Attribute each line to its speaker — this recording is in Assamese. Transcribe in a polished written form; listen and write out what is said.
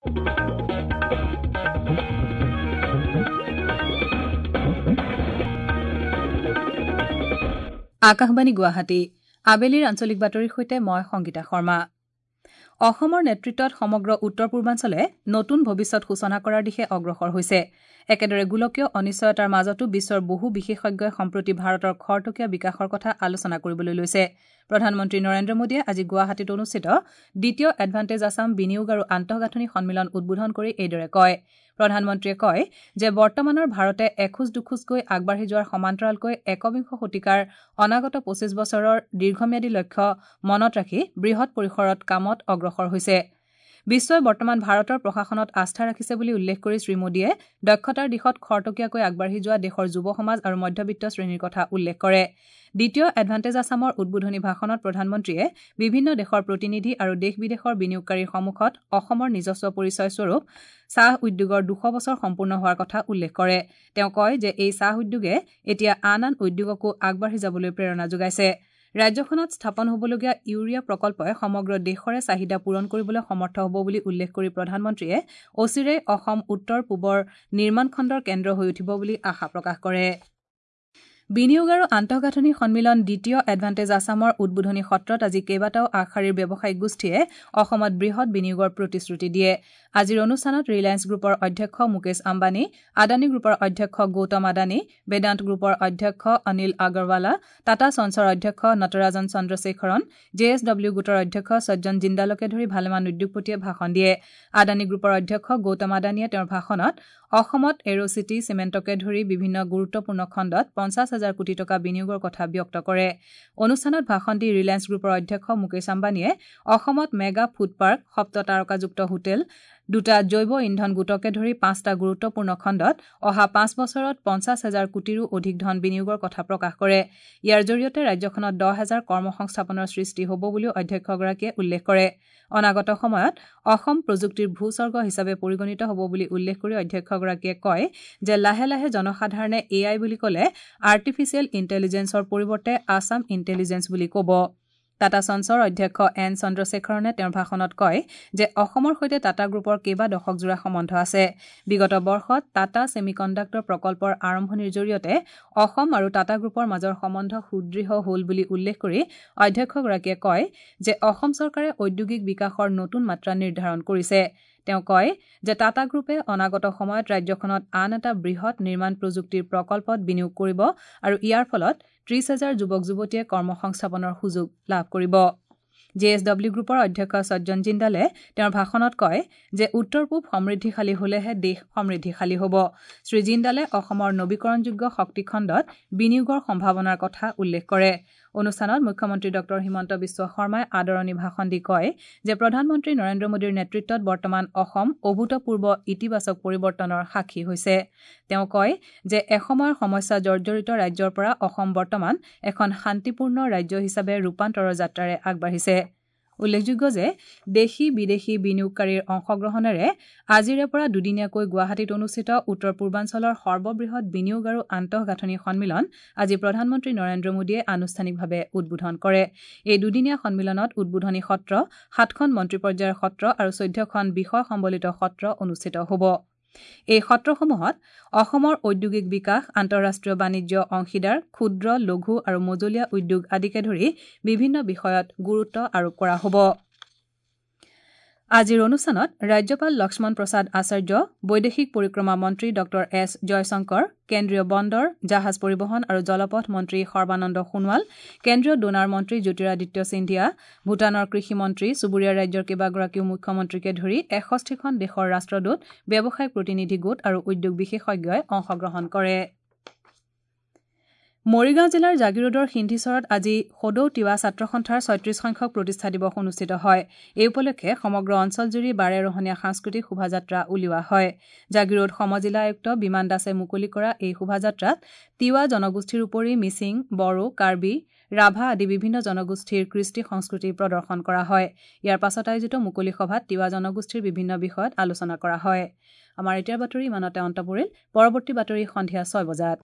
Speaker 1: আকাশবাণী গুৱাহাটী আবেলিৰ আঞ্চলিক বাতৰিৰ সৈতে মই সংগীতা শৰ্মা। অসমৰ নেতৃত্বত সমগ্ৰ উত্তৰ পূৰ্বাঞ্চলে নতুন ভৱিষ্যত সূচনা কৰাৰ দিশে অগ্ৰসৰ হৈছে। একেদৰে গোলকীয় অনিশ্চয়তাৰ মাজতো বিশ্বৰ বহু বিশেষজ্ঞই সম্প্ৰতি ভাৰতৰ খৰতকীয়া বিকাশৰ কথা আলোচনা কৰিবলৈ লৈছে। প্ৰধানমন্ত্ৰী নৰেন্দ্ৰ মোদীয়ে আজি গুৱাহাটীত অনুষ্ঠিত দ্বিতীয় এডভান্টেজ আছাম বিনিয়োগ আৰু আন্তঃগাঁথনি সন্মিলন উদ্বোধন কৰি এইদৰে কয়। প্ৰধানমন্ত্ৰীয়ে কয় যে বৰ্তমানৰ ভাৰতে এখোজ দুখোজকৈ আগবাঢ়ি যোৱাৰ সমান্তৰালকৈ একবিংশ শতিকাৰ অনাগত ২৫ বছৰৰ দীৰ্ঘম্যাদী লক্ষ্য মনত ৰাখি বৃহৎ পৰিসৰত কামত অগ্ৰসৰ হৈছে। বিশ্বই বৰ্তমান ভাৰতৰ প্ৰশাসনত আস্থা ৰাখিছে বুলি উল্লেখ কৰি শ্ৰীমোদীয়ে দক্ষতাৰ দিশত খৰতকীয়াকৈ আগবাঢ়ি যোৱা দেশৰ যুৱ সমাজ আৰু মধ্যবিত্ত শ্ৰেণীৰ কথা উল্লেখ কৰে। দ্বিতীয় এডভান্টেজ আছামৰ উদ্বোধনী ভাষণত প্ৰধানমন্ত্ৰীয়ে বিভিন্ন দেশৰ প্ৰতিনিধি আৰু দেশ বিদেশৰ বিনিয়োগকাৰীৰ সন্মুখত অসমৰ নিজস্ব পৰিচয় স্বৰূপ চাহ উদ্যোগৰ ২০০ বছৰ সম্পূৰ্ণ হোৱাৰ কথা উল্লেখ কৰে। তেওঁ কয় যে এই চাহ উদ্যোগে এতিয়া আন আন উদ্যোগকো আগবাঢ়ি যাবলৈ প্ৰেৰণা যোগাইছে। ৰাজ্যখনত স্থাপন হ'বলগীয়া ইউৰিয়া প্ৰকল্পই সমগ্ৰ দেশৰে চাহিদা পূৰণ কৰিবলৈ সমৰ্থ হ'ব বুলি উল্লেখ কৰি প্ৰধানমন্ত্ৰীয়ে অচিৰেই অসম উত্তৰ পূবৰ নিৰ্মাণ খণ্ডৰ কেন্দ্ৰ হৈ উঠিব বুলি আশা প্ৰকাশ কৰে। বিনিয়োগ আৰু আন্তঃগাঁথনি সন্মিলন দ্বিতীয় এডভান্টেজ আছামৰ উদ্বোধনী সত্ৰত আজি কেইবাটাও আগশাৰীৰ ব্যৱসায়িক গোষ্ঠীয়ে অসমত বৃহৎ বিনিয়োগৰ প্ৰতিশ্ৰুতি দিয়ে। আজিৰ অনুষ্ঠানত ৰিলায়েন্স গ্ৰুপৰ অধ্যক্ষ মুকেশ আম্বানী, আদানী গ্ৰুপৰ অধ্যক্ষ গৌতম আদানী, বেদান্ত গ্ৰুপৰ অধ্যক্ষ অনিল আগৰৱালা, টাটা ছন্সৰ অধ্যক্ষ Natarajan Chandrasekaran, J S W গোটৰ অধ্যক্ষ সজ্জন জিন্দালকে ধৰি ভালেমান উদ্যোগপতিয়ে ভাষণ দিয়ে। আদানী গ্ৰুপৰ অধ্যক্ষ গৌতম আদানীয়ে তেওঁৰ ভাষণত অসমত এৰ'চিটি, চিমেণ্টকে ধৰি বিভিন্ন গুৰুত্বপূৰ্ণ খণ্ডত ৫০ হাজাৰ কোটি টকা বিনিয়োগৰ কথা ব্যক্ত কৰে। অনুষ্ঠানত ভাষণ দি ৰিলায়েন্স গ্ৰুপৰ অধ্যক্ষ মুকেশ আম্বানীয়ে অসমত মেগা ফুড পাৰ্ক, সপ্ত তাৰকাযুক্ত হোটেল, দুটা জৈৱ ইন্ধন গোটকে ধৰি ৫টা গুৰুত্বপূৰ্ণ খণ্ডত অহা ৫ বছৰত ৫০ হাজাৰ কোটিৰো অধিক ধন বিনিয়োগৰ কথা প্ৰকাশ কৰে। ইয়াৰ জৰিয়তে ৰাজ্যখনত ১০ হাজাৰ কৰ্মসংস্থাপনৰ সৃষ্টি হ'ব বুলিও অধ্যক্ষগৰাকীয়ে উল্লেখ কৰে। অনাগত সময়ত অসম প্ৰযুক্তিৰ ভূস্বৰ্গ হিচাপে পৰিগণিত হ'ব বুলি উল্লেখ কৰি অধ্যক্ষগৰাকীয়ে কয় যে লাহে লাহে জনসাধাৰণে এ I বুলি ক'লে আৰ্টিফিচিয়েল ইণ্টেলিজেন্সৰ পৰিৱৰ্তে আছাম ইণ্টেলিজেন্স বুলি ক'ব। টাটা ছন্সৰ অধ্যক্ষ এন চন্দ্ৰশেখৰণে তেওঁৰ ভাষণত কয় যে অসমৰ সৈতে টাটা গ্ৰুপৰ কেইবা দশকজোৰা সম্বন্ধ আছে। বিগত বৰ্ষত টাটা ছেমিকণ্ডাক্টৰ প্ৰকল্পৰ আৰম্ভণিৰ জৰিয়তে অসম আৰু টাটা গ্ৰুপৰ মাজৰ সম্বন্ধ সুদৃঢ় হ'ল বুলি উল্লেখ কৰি অধ্যক্ষগৰাকীয়ে কয় যে অসম চৰকাৰে ঔদ্যোগিক বিকাশৰ নতুন মাত্ৰা নিৰ্ধাৰণ কৰিছে। তেওঁ কয় যে টাটা গ্ৰুপে অনাগত সময়ত ৰাজ্যখনত আন এটা বৃহৎ নিৰ্মাণ প্ৰযুক্তিৰ প্ৰকল্পত বিনিয়োগ কৰিব আৰু ইয়াৰ ফলত ৩০ হাজাৰ যুৱক যুৱতীয়ে কৰ্মসংস্থাপনৰ সুযোগ লাভ কৰিব। জে এছ ডব্লিউ গ্ৰুপৰ অধ্যক্ষ সজ্জন জিন্দালে তেওঁৰ ভাষণত কয় যে উত্তৰ পূব সমৃদ্ধিশালী হলেহে দেশ সমৃদ্ধিশালী হ'ব। শ্ৰী জিন্দালে অসমৰ নবীকৰণযোগ্য শক্তি খণ্ডত বিনিয়োগৰ সম্ভাৱনাৰ কথা উল্লেখ কৰে। অনুষ্ঠানত মুখ্যমন্ত্ৰী ডঃ হিমন্ত বিশ্ব শৰ্মাই আদৰণি ভাষণ দি কয় যে প্ৰধানমন্ত্ৰী নৰেন্দ্ৰ মোদীৰ নেতৃত্বত বৰ্তমান অসম অভূতপূৰ্ব ইতিবাচক পৰিৱৰ্তনৰ সাক্ষী হৈছে। তেওঁ কয় যে এসময়ৰ সমস্যা জৰ্জৰিত ৰাজ্যৰ পৰা অসম বৰ্তমান এখন শান্তিপূৰ্ণ ৰাজ্য হিচাপে ৰূপান্তৰৰ যাত্ৰাৰে আগবাঢ়িছে। উল্লেখযোগ্য যে দেশী বিদেশী বিনিয়োগকাৰীৰ অংশগ্ৰহণেৰে আজিৰে পৰা দুদিনীয়াকৈ গুৱাহাটীত অনুষ্ঠিত উত্তৰ পূৰ্বাঞ্চলৰ সৰ্ববৃহৎ বিনিয়োগ আৰু আন্তঃগাঁথনি সন্মিলন আজি প্ৰধানমন্ত্ৰী নৰেন্দ্ৰ মোদীয়ে আনুষ্ঠানিকভাৱে উদ্বোধন কৰে। এই দুদিনীয়া সন্মিলনত উদ্বোধনী সত্ৰ, ৭খন মন্ত্ৰী পৰ্যায়ৰ সত্ৰ আৰু ১৪খন বিষয় সম্বলিত সত্ৰ অনুষ্ঠিত হ'ব। এই সত্ৰসমূহত অসমৰ ঔদ্যোগিক বিকাশ, আন্তঃৰাষ্ট্ৰীয় বাণিজ্য অংশীদাৰ, ক্ষুদ্ৰ, লঘু আৰু মজলীয়া উদ্যোগ আদিকে ধৰি বিভিন্ন বিষয়ত গুৰুত্ব আৰোপ কৰা হ'ব। আজিৰ অনুষ্ঠানত ৰাজ্যপাল লক্ষ্মণ প্ৰসাদ আচাৰ্য, বৈদেশিক পৰিক্ৰমা মন্ত্ৰী ডঃ এছ জয়শংকৰ, কেন্দ্ৰীয় বন্দৰ, জাহাজ পৰিবহণ আৰু জলপথ মন্ত্ৰী সৰ্বানন্দ সোণোৱাল, কেন্দ্ৰীয় ডোনাৰ মন্ত্ৰী জ্যোতিৰাদিত্য সিন্ধিয়া, ভূটানৰ কৃষি মন্ত্ৰী, চুবুৰীয়া ৰাজ্যৰ কেইবাগৰাকীও মুখ্যমন্ত্ৰীকে ধৰি ৬১খন দেশৰ ৰাষ্ট্ৰদূত, ব্যৱসায়িক প্ৰতিনিধি গোট আৰু উদ্যোগ বিশেষজ্ঞই অংশগ্ৰহণ কৰে। মৰিগাঁও জিলাৰ জাগিৰোডৰ সিন্ধিচৰত আজি সদৌ তিৱা ছাত্ৰ সন্থাৰ ৩৬ সংখ্যক প্ৰতিষ্ঠা দিৱস অনুষ্ঠিত হয়। এই উপলক্ষে সমগ্ৰ অঞ্চলজুৰি বাৰেৰহণীয়া সাংস্কৃতিক শোভাযাত্ৰা উলিওৱা হয়। জাগিৰোড সমজিলা আয়ুক্ত বিমান দাসে মুকলি কৰা এই শোভাযাত্ৰাত তিৱা জনগোষ্ঠীৰ উপৰি মিচিং, বড়ো, কাৰ্বি, ৰাভা আদি বিভিন্ন জনগোষ্ঠীৰ কৃষ্টি সংস্কৃতি প্ৰদৰ্শন কৰা হয়। ইয়াৰ পাছত আয়োজিত মুকলি সভাত তিৱা জনগোষ্ঠীৰ বিভিন্ন বিষয়ত আলোচনা কৰা হয়। আমাৰ এতিয়াৰ বাতৰি ইমানতে অন্ত পৰিল। পৰৱৰ্তী বাতৰি সন্ধিয়া ৬ বজাত।